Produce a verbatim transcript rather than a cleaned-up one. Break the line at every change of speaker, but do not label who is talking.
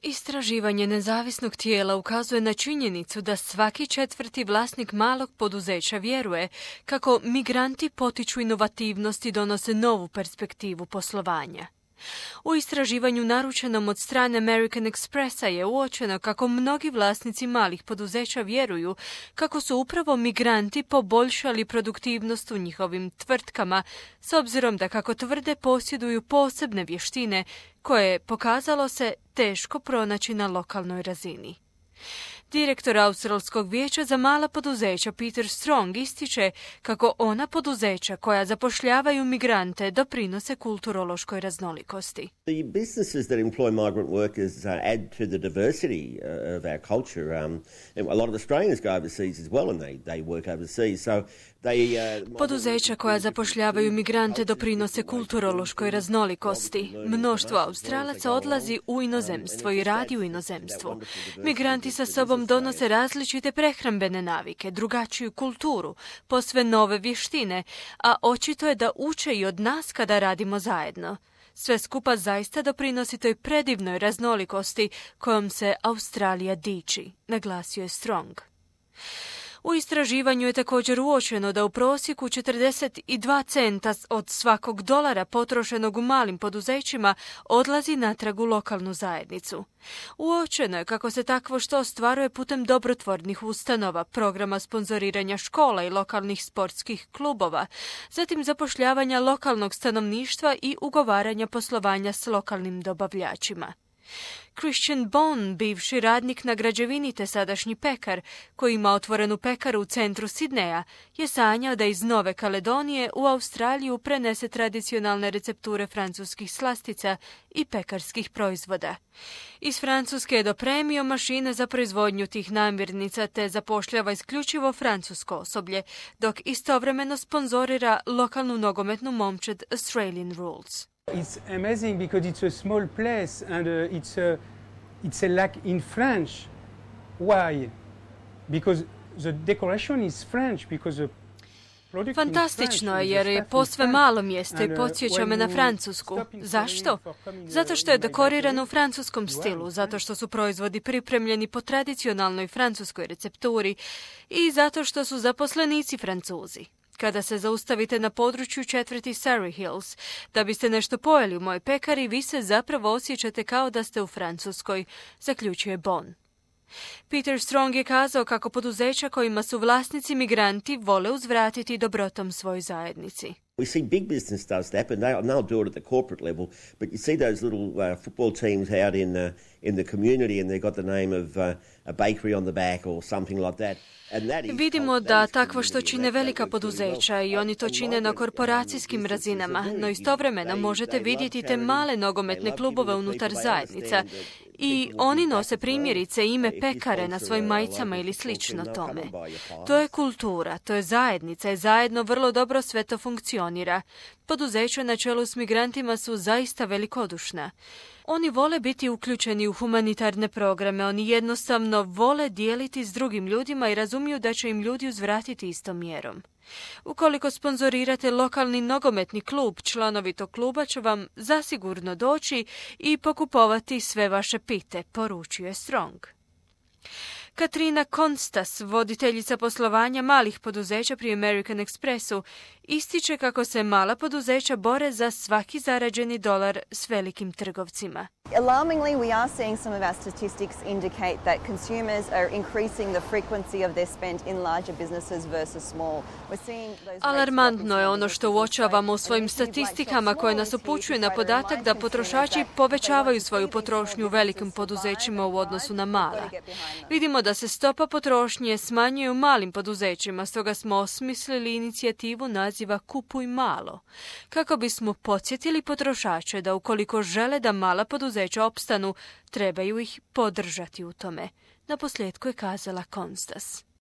Istraživanje nezavisnog tijela ukazuje na činjenicu da svaki četvrti vlasnik malog poduzeća vjeruje kako migranti potiču inovativnost i donose novu perspektivu poslovanja. U istraživanju naručenom od strane American Expressa je uočeno kako mnogi vlasnici malih poduzeća vjeruju kako su upravo migranti poboljšali produktivnost u njihovim tvrtkama, s obzirom da, kako tvrde, posjeduju posebne vještine koje je, pokazalo se, teško pronaći na lokalnoj razini. Direktor Australskog vijeća za mala poduzeća Peter Strong ističe kako ona poduzeća koja zapošljavaju migrante doprinose kulturološkoj raznolikosti.
The businesses that employ migrant workers uh, add to the diversity uh, of our culture. Um, a lot of Australians go overseas as well and they, they work overseas. So they, uh,
Poduzeća koja zapošljavaju migrante doprinose kulturološkoj raznolikosti. Mnoštvo Australaca odlazi u inozemstvo i radi u inozemstvu. Migranti sa sobom donose različite prehrambene navike, drugačiju kulturu, posve nove vještine, a očito je da uče i od nas kada radimo zajedno. Sve skupa zaista doprinosi toj predivnoj raznolikosti kojom se Australija diči, naglasio je Strong. U istraživanju je također uočeno da u prosjeku četrdeset dva centa od svakog dolara potrošenog u malim poduzećima odlazi natrag u lokalnu zajednicu. Uočeno je kako se takvo što ostvaruje putem dobrotvornih ustanova, programa sponzoriranja škola i lokalnih sportskih klubova, zatim zapošljavanja lokalnog stanovništva i ugovaranja poslovanja s lokalnim dobavljačima. Christian Bond, bivši radnik na građevini te sadašnji pekar, koji ima otvorenu pekaru u centru Sidneja, je sanjao da iz Nove Kaledonije u Australiju prenese tradicionalne recepture francuskih slastica i pekarskih proizvoda. Iz Francuske je dopremio mašine za proizvodnju tih namirnica te zapošljava isključivo francusko osoblje, dok istovremeno sponzorira lokalnu nogometnu momčad Australian Rules.
It's amazing because it's a small place and uh, it's a it's a lac in French. Why? Because the decoration is French because the
Fantastično je jer je posve malo mjesto i podsjeća me na Francusku. Zašto? Zato što je dekorirano u francuskom stilu, zato što su proizvodi pripremljeni po tradicionalnoj francuskoj recepturi i zato što su zaposlenici Francuzi. Kada se zaustavite na području četvrti Surrey Hills, da biste nešto pojeli u mojoj pekari, vi se zapravo osjećate kao da ste u Francuskoj, zaključuje Bon. Peter Strong je kazao kako poduzeća kojima su vlasnici migranti vole uzvratiti dobrotom svojoj zajednici.
We see big business does that, but they'll, they'll do it at the corporate level. But you see those little uh, football teams out in uh, in the community, and they've got the name of uh, a bakery on the back or something like that.
Vidimo da takvo što čine velika poduzeća i oni to čine na korporacijskim razinama, no istovremeno možete vidjeti te male nogometne klubove unutar zajednica i oni nose primjerice ime pekare na svojim majicama ili slično tome. To je kultura, to je zajednica i zajedno vrlo dobro sve to funkcionira. Poduzeća na čelu s migrantima su zaista velikodušna. Oni vole biti uključeni u humanitarne programe, oni jednostavno vole dijeliti s drugim ljudima i razumiju da će im ljudi uzvratiti istom mjerom. Ukoliko sponzorirate lokalni nogometni klub, članovi tog kluba će vam zasigurno doći i pokupovati sve vaše pite, poručuje Strong. Katrina Konstas, voditeljica poslovanja malih poduzeća pri American Expressu, ističe kako se mala poduzeća bore za svaki zarađeni dolar s velikim trgovcima.
Alarmingly, we are seeing some of our statistics indicate that consumers are increasing the frequency of their spend in larger businesses versus small. We're seeing those
Alarmantno je ono što uočavamo u svojim statistikama koje nas upućuje na podatak da potrošači povećavaju svoju potrošnju u velikim poduzećima u odnosu na mala. Vidimo da se stopa potrošnje smanjuje u malim poduzećima, stoga smo osmislili inicijativu naziva Kupuj malo, kako bismo podsjetili potrošače da ukoliko žele da mala poduzeća opstanu, trebaju ih podržati u tome. Naposljetku je kazala Konstas.